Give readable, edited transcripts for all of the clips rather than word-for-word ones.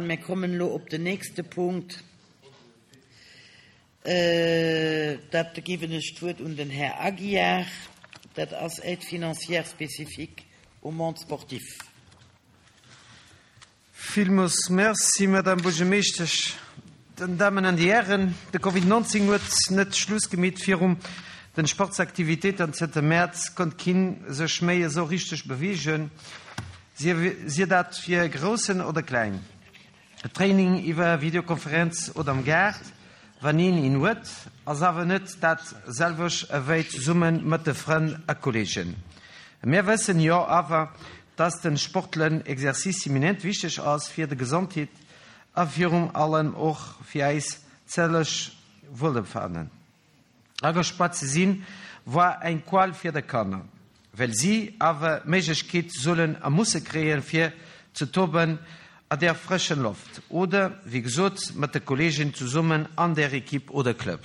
Mir kommen elo op den nächste Punkt. Dat ginn ech d'Wuert un den Här Aguiar. Dat ass Aide financière spécifique au monde sportif. Villmoos Merci, Madame Buergermeeschtesch. Den Damen an déi Hären, de Covid 19 huet net Schluss gemeet virum den Sportsaktivitéiten. Zënter Mäerz konnt keen sech méi esou richteg beweegen. Sier dat fir Groussen oder Kleng. Training iwwer Videokonferenz oder am Gaart, wann een een huet, ass awer net dat selwecht ewéi zesumme mat de Frënn a Kolleegen. Mär wëssen jo awer, dass den sportlen Exercice imminent wichteg ass fir de Gesondheet a virum allem och fir eis zellech Wuelbefannen. Agespaart ze sinn, war eng Qual fir de Kanner, well si awer d'Méiglechkeet sollen a musse kréien, fir ze toben a der frëschen Loft oder, wéi gesot, mat de Kolleegen zesummen an der Equipe oder Club.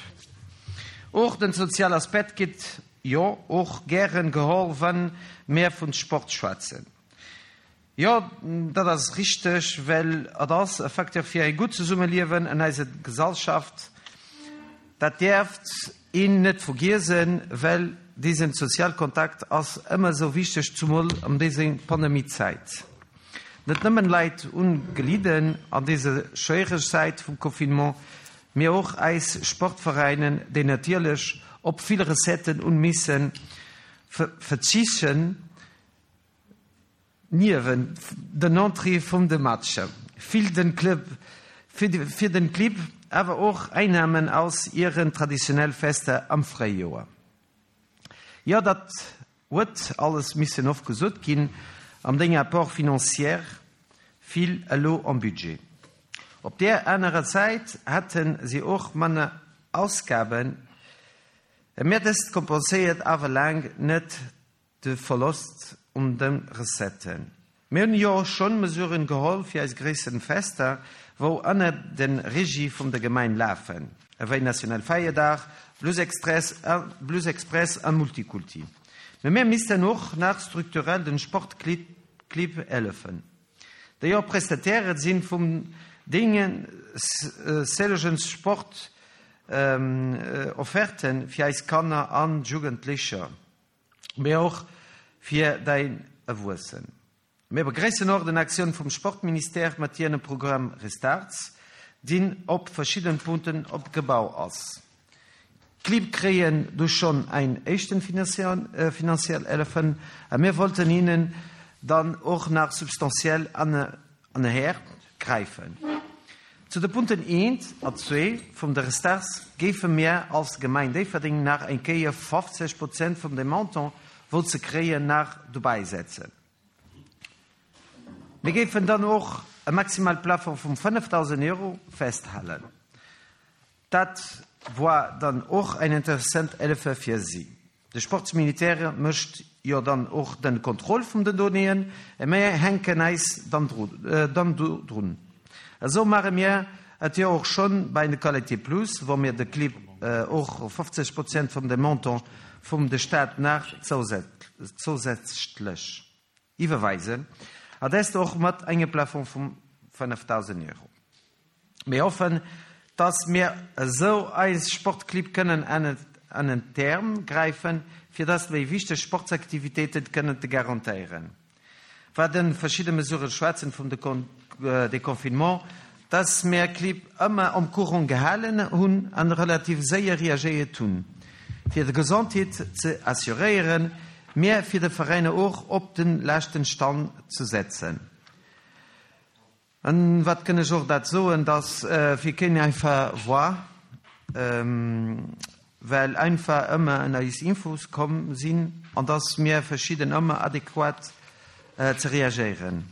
Och den soziale Aspekt gëtt jo och gären geholl, wann mär vun Sport schwätzen. Jo, dat ass richteg, well et ass e Facteur fir e gutt Zesummeliewen an eiser Gesallschaft. Dat däerft een net vergiesen, well desen Sozialkontakt ass ëmmer esou wichteg, zumol an dese Pandemiezäit. Net nëmmen Leit hunn gelidden an dese schwéiereg Zäit vum Confinement, mee och eis Sportveräinen, déi natierlech op vill Recetten hunn missen verzichten. Niewent den Entrée vum de Matcher vill den Club fir den Clibb awer och Einnahmen aus ieren traditionell Fester am Fréijoer. Jo dat huet alles missen ofgesot ginn am deng Apport financier vill elo am Budget. Op där anerer Säit hätten si och manner Ausgaben, mä dëst kompenséiert awer laang net De Verlost un de Recetten. Mir hunn jo schonn Mesuren geholl fir eis gréissen Fester, wou ënner den Regie vum der Gemein lafen, ewéi National Feierdag, Blues Express an Multikulti. Mee mir missten och nach strukturell den Sportclibb hëllefen, déi jo Prestataire sinn vum deenen sëllegen Sport Offerten fir eis Kanner an Jugendlecher. mee och fir däi Erwuessen. Mir begréissen och den Aktioun vum Sportministère mat hiene Programm Restarts, deen op verschidden Punkten opgebau ass. D'Clibb kréien du schonn ein éischten finanziell Hëllefen a mir wollten hinnen dann och nach substantiell an Häert gräifen. Zu de Punkten eent a zwee vum de Restarts géife mir als Gemeng Déifferdeng nach eng Kéier 50 Prozent vum dem Montant, wou ze kréien, nach dobäisetzen. Mir géifen dann och e maximale Plafond vum 5.000 Euro festhalen. Dat woar dann och eng interessant Hëllefe fir si. De Sportsmilitaire mécht jo dann och den Contrôle vum den Donnéeën, a mir hänken eis dann do drun. Esou maache mir et jo och schonn bei de Qualité Plus, wou mir de Clibb och 50 Prozent vum dem Montant vum de Staat nach zousätzlech iwwerweisen, a dest och mat engem Plafond vum 5.000 Euro. Mir hoffen, dass mir esou eis Sportclibb kënnen ënnert d'Äerm gräifen, fir dass méi wichteg Sportsaktivitéiten kënnen ze garantéieren. Wat de verschidde Mesuren schwätzen vum Deconfinement, dass mir Clibb ëmmer am Courant gehalen hunn an relativ séier reagéiert hunn, fir de Gesondheet ze assuréieren, mä fir de Veräiner och op de leschten Stand ze setzen. An wat kënn ech och dat soen, dass fir keen einfach war, well einfach ëmmer en eis Infos komm sinn an dass mir verschidden ëmmer adequat ze reagéieren.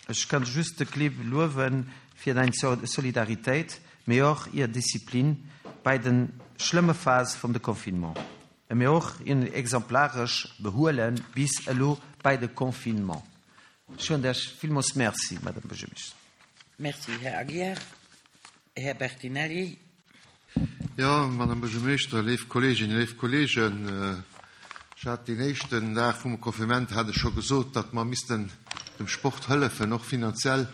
Ech kann just de Clibb luewen fir däin Solidaritéit, mee och ir Disziplin bäi den schlëmme Phase vum de Confinement, mee och ir exemplaresch Behuelen bis elo bäi de Confinement. Ech soen lech villmools Merci, Madame Buergermeeschter. Merci, Här Aguiar. Här Bertinelli. Jo, Madame Buergermeeschter, léif Kolleeginnen, léif Kolleegen, ech hat deen éischten Dag vum Confinement hat ech scho gesot, datt mer missten dem Sport hëllefen, och finanziell.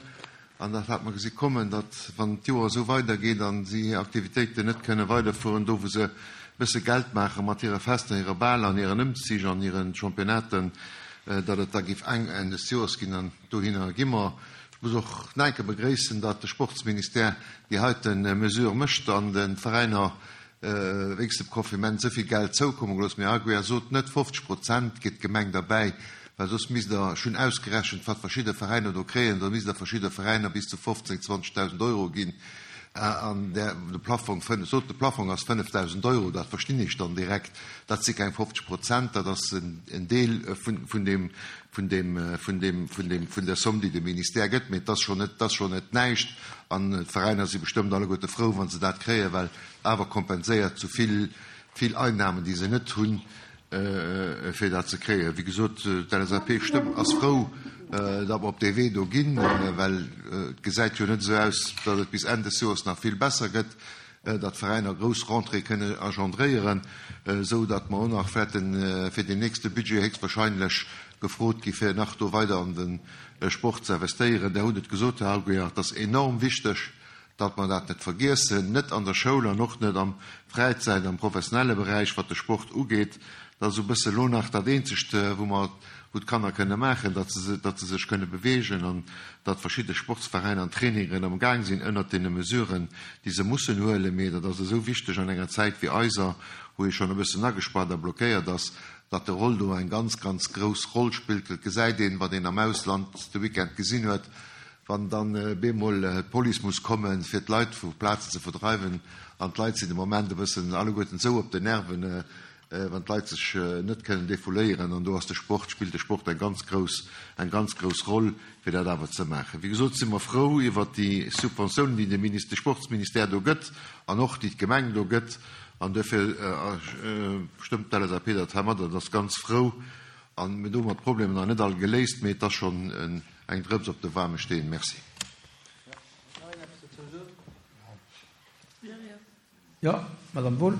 An dat hat mer gesi kommen, datt wann d'Joer esou weidergeet a si hir Aktivitéiten net kënne weiderfueren, do wou se e bësse Geld maache mat hire Fester, hire Baler an hiren Ëmzich an hiren Championnaten, datt et da géif enk Enn des Joers ginn. An dohinner gi mer. Ech muss och nach eng Kéier begréissen, datt de Sportsministère déi heite Mesure mécht an de Veräiner Wéinst dem Confinement esou vill Geld zoukomme gelooss. Mee Aguiar sot net, 50 Prozent geet d'Gemeng derbäi, well soss misst Der, ech hunn ausgerechent, wat verschidde Veräiner do kréien, da misst Der verschidde Veräiner bis zu 15, 20.000 Euro ginn. An där, de Plaffong, sot, de Plaffong ass 5.000 Euro, dat verstinn ech dann direkt, dat si keng 50 Prozent, dat ass en Deel vun deem, vun deem, vun deem, vun deem, vun der Somm, déi de Ministère gëtt. Mee et ass schonn net, et ass schonn net näischt. An d'Veräiner si bestëmmt alleguerte frou, wa se dat kréien, well awer kompenséiert zu vill, vill Einnahmen, déi se net hunn, fir dat ze kréien. Wéi gesot, d'LSAP stëmmt, ass frou, datt mer op dee Wee do ginn, well et gesäit jo net esou aus, datt et bis Enn des Joers nach vill besser gëtt, datt d'Veräiner grouss Rentrée kënne engendréieren, esou datt mer och nach wäerte fir deen nächste Budget héchstwahrscheinlech gefrot gi fir nach do weider an de Sport ze investéieren. Der hutt et gesot, Här Aguiar, et ass enorm wichteg, datt mer dat net vergiessen, net an der Schoul an och net am Fräizäit, am professionelle Beräich, wat de Sport ugeet. Dat ass esou e bësse lo nach dat Eenzegt, wou mer, wou d'Kanner kënne maachen, datt se, datt se sech kënne beweegen an datt verschidde Sportsveräiner an Trainingen am Gaang sinn ënnert deene Mesuren, déi se mussen huelen. Mee dat ass esou wichteg an enger Zäit wéi eiser, wou ee schonn e bëssen agespaart a blockéiert ass, datt de Roll do eng ganz, ganz grouss Roll spillt. Et gesäit een, wat een am Ausland de Weekend gesinn huet, Wann dann bemol d'Police muss kommen, fir d'Leit vu Plazen ze verdreiwen, an d'Leit sinn de Moment e bëssen alleguerten esou op den Nerven, wann d'Leit sech net kënnen defouléieren, an do ass de Sport, spillt de Sport eng ganz grouss, eng ganz grouss Roll, fir dat awer ze maachen. Wéi gesot si mer frou iwwert déi Subventiounen, déi de Minister, de Sportsministère do gëtt an och déi d'Gemeng do gëtt, an duerfir stëmmt d'LSAP dat heimadder an ass ganz frou. A mir hu domat d'Problemer nach net all geléist, mee et ass schonn en Eng Drëps op de waarme Steen. Merci. Jo, Madame Wohl.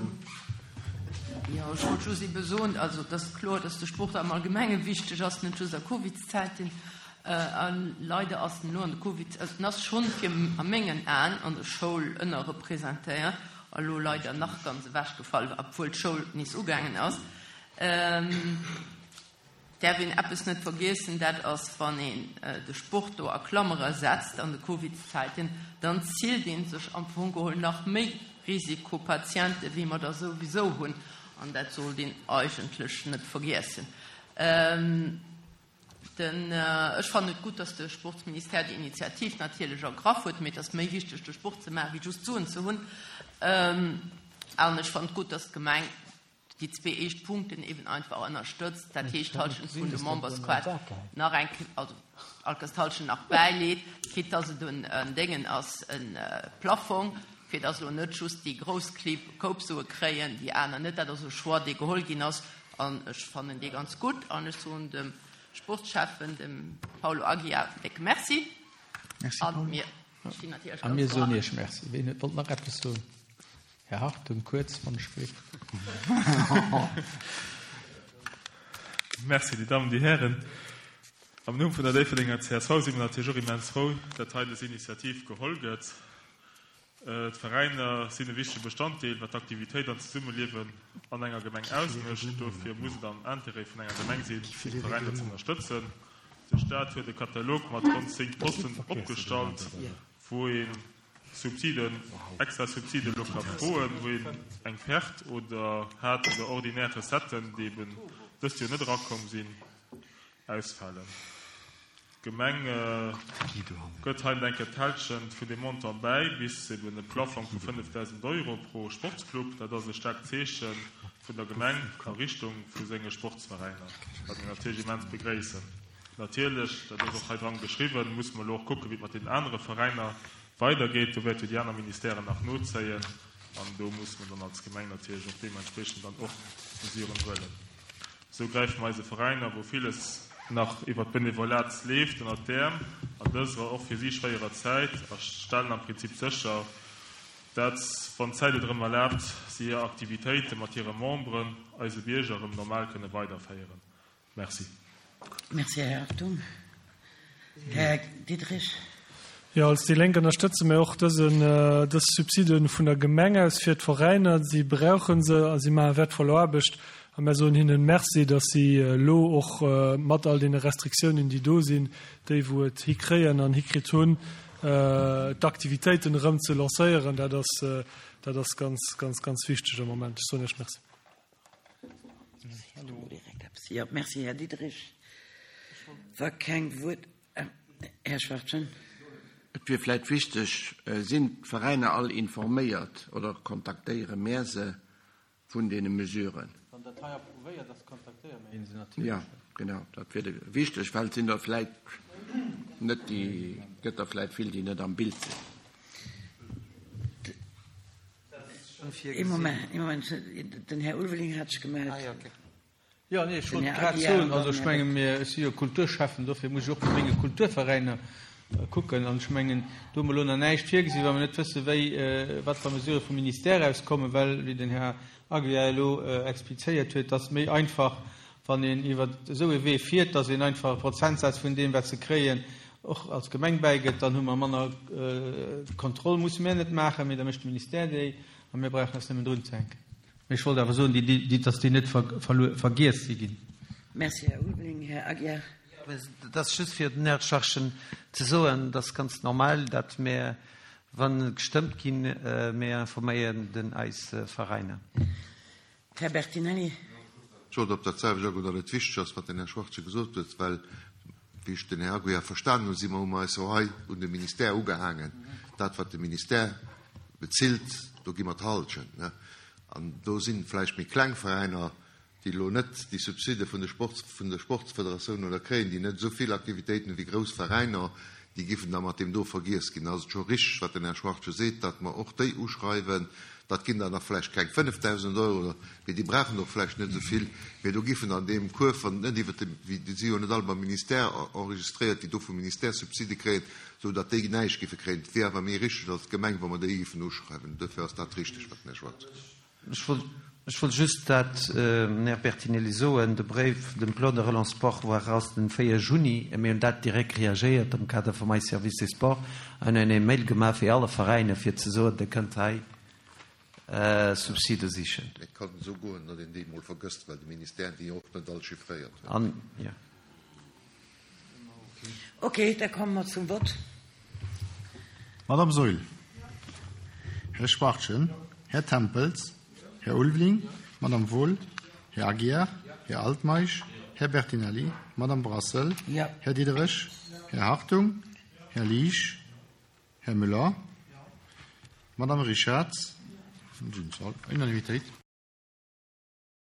Jo, ech wollt just ebe soen, also et ass kloer, dass de Sport am Allgemenge wichteg ass, net just a Covidzäiten. A leider ass en elo an de Covid, also en ass schonn fir a mengen Aen an der Schoul ënnerrepresentéiert a lo leider nach ganz ewechgefall, obwuel d'Schoul nees ugaangen ass. Däerf een eppes net vergiessen, dat ass, wann een de Sport do a Klammere setzt an de Covidzäiten, dann zielt ee sech am Fong geholl nach méi Risikopatiente wéi mer der souwisou hunn. An dat sollt een eigentlech net vergiessen. Den, ech fannen et gutt, datt de Sportsministère déi Initiativ natierlech ergraff huet, mee et ass méi wichteg, de Sport ze maachen, wéi just Suen ze hunn. An ech fannen et gutt, datt d'Gemeng déi zwee éischt Punkten eben einfach ënnerstëtzt, dat heescht d'Halschent vun de Membersquad nach eng, also alkes d'Halschent nach bäileet, quitte dass et en Déngen ass, e Plaffong, fir dass elo net just déi grouss Clibb Koup-Sue kréien, déi aner net. Dat ass e Choix, dee geholl ginn ass, an ech fannen dee ganz gutt. An ech soen dem Sportschäffen, dem Paulo Aguiar, en décke Merci. Merci, Paul. A mir soen Iech Merci. Ween huet, wollt nach eppes soen? Här Hartung, kuerz, wann ech gleef. Merci, Dir Dammen, Dir Hären. Am Numm vun der Déifferdenger csv si mer natierlech och immens frou, datt hei dës Initiativ geholl gëtt. D'Veräiner sinn e wichtege Bestanddeel, wat d'Aktivitéit an d'Zesummeliewen an enger Gemeng ausmécht. Dofir muss et am Interêt vun enger Gemeng sinn, d'Veräiner ze ënnerstëtzen. De Staat huet e Katalog mat ronn 10 Posten opgestallt, wou ee Subsiden, extra Subside elo ka froen, wou een eng Perte oder hat oder ordinär Recetten, déi eben dëst Joer net erakomm sinn, ausfalen. D'Gemeng gëtt hei eng Kéier d'Hälschent vun deem Montant bäi, bis eben e Plafong vu 5.000 Euro pro Sportsclub. Dat ass e staarkt Zeeche vun der Gemeng a Richtung vu senge Sportsveräiner, wat mir natierlech immens begréissen. Natierlech, dat ass och hei dran geschriwwen, musse mer elo och kucken, wéi et mat deenen anere Veräiner weidergeet. Do wäerte jo déi aner Ministèren nach nozéien an do musse mer dann als Gemeng natierlech och deementspreechend dann och Mesuren huelen. Esou gräife mer eise Veräiner, wou villes nach iwwert d'Benevolat leeft, ënnert d'Äerm an dëserer och fir si schwéierer Zäit a stellen am Prinzip sécher, dat, wann d'Zäit et erëm erlaabt, si hir Aktivitéite mat hire Memberen, eise Bierger, erëm normal kënne weiderféieren. Merci. Merci, Här Hartung. Här Diderich. Jo, als déi Lénk ënnerstëtze mir och dësen, dës Subside vun der Gemeng aus fir d'Veräiner. Si brauche se a si maache wäertvoll Aarbecht. A mir soen hinnen Merci, datt si elo och mat all deene Restriktiounen, déi do sinn, déi wou et hikréien an hikritt hunn, d'Aktivitéiten erëm ze lancéieren. Dat ass, dat ass ganz, ganz, ganz wichteg am Moment. Ech soen Iech Merci. Jo, merci, Här Diderich. Wa keng Wuert. Här Schwachtgen. Et wier vläit wichteg, Sinn d'Veräiner all informéiert oder kontaktéiere mär se vun deene Mesuren? Wann dat hei approuvéiert ass, kontaktéiere mir se natierlech. Jo, genau, dat wier wichteg, well et sinn der vläit net déi, gëtt der vläit vill, déi net am Bild sinn. Ee Moment, ee Moment, den Här Ulveling hat sech gemellt. Jo, nee, ech wollt grad soen, also ech menge mir, ech si jo Kulturschäffen, dofir muss ech och mat menge Kulturveräiner kucken. An ech mengen, do hu mer elo nach näischt virgesinn, well mer net wëssen, wéi, wat fir Mesurë vum Ministère aus kommen, well, wéi den Här Aguiar elo explizéiert huet, dass méi einfach, wann een iwwer esou ee Wee fiert, dass een einfach e Prozentsaz vun deem, wat se kréien, och als Gemeng bäigëtt. Dann hu mer manner Kontroll, musse mir net maachen, mee da mécht de Ministère déi a mir brauchen eis nëmmen drunzehänken. Mee ech wollt awer soen, dass déi net vergiess si ginn. Merci, Här Ulveling. Här Aguiar. Et ass just fir den Här Schorschen ze soen, et ass ganz normal, datt mir, wa gestëmmt ginn, mir informéieren den eis Veräiner. Här Bertinelli. Ech wollt op dat selwecht agoen, datt et wichteg ass, wat den Här Schwartze gesot huet, well, wéi ech den Här Aguiar verstanen hunn, si mer, hu mer eis jo hei un de Ministère ugehaangen. Dat, wat de Ministère bezilt, do gi mer d'Halschent. An do si vläicht méi kleng Veräiner, déi elo net déi Subside vun de Sports, vun der Sportsfederatioun oder kréien, déi net esou vill Aktivitéiten hu wéi grouss Veräiner, déi giffen da mat deem do vergiess ginn. Da ass et scho richteg, wat den Här Schwartje seet, datt mer och déi uschreiwen. Dat ginn dann nach vläicht keng 5.000 Euro, mee déi brauchen och vläicht net esou vill, mee do giffen an deem Kuerf, wann et net iwwert de, déi si jo net all beim Ministère enregistréiert, déi do vum Ministère Subside kréien, esou datt déi näischt giffe kréien. Et wier awer méi richteg als Gemeng, wa mer déi giffen uschreiwen. Duerfir ass dat richteg, wat den Här Schwarz seet. Ech wollt just dat, Här Bertinelli, soen, de Bréif, den Plan de relance sport war eraus den 4 Juni, a mir hunn dat direkt reagéiert am Kader vum eis Service des Sports an hunn ee Mail gemaach fir alle Veräiner, fir ze soen, Dir kënnt hei Subside sichen. Et kann esou goen, datt een déi emol vergësst, well de Ministère déi och net all chiffréiert huet. An, jo. Ok, da komme mer zum Vott. Madame Saeul, Här Schwachtgen, Här Tempels, Här Ulveling, Madame Wohl, Här Aguiar, Här Altmeisch, Här Bertinelli, Madame Brassel, Här Diderich, Här Hartung, Här Liesch, Här Müller, Madame Richarz, Unanimitéit.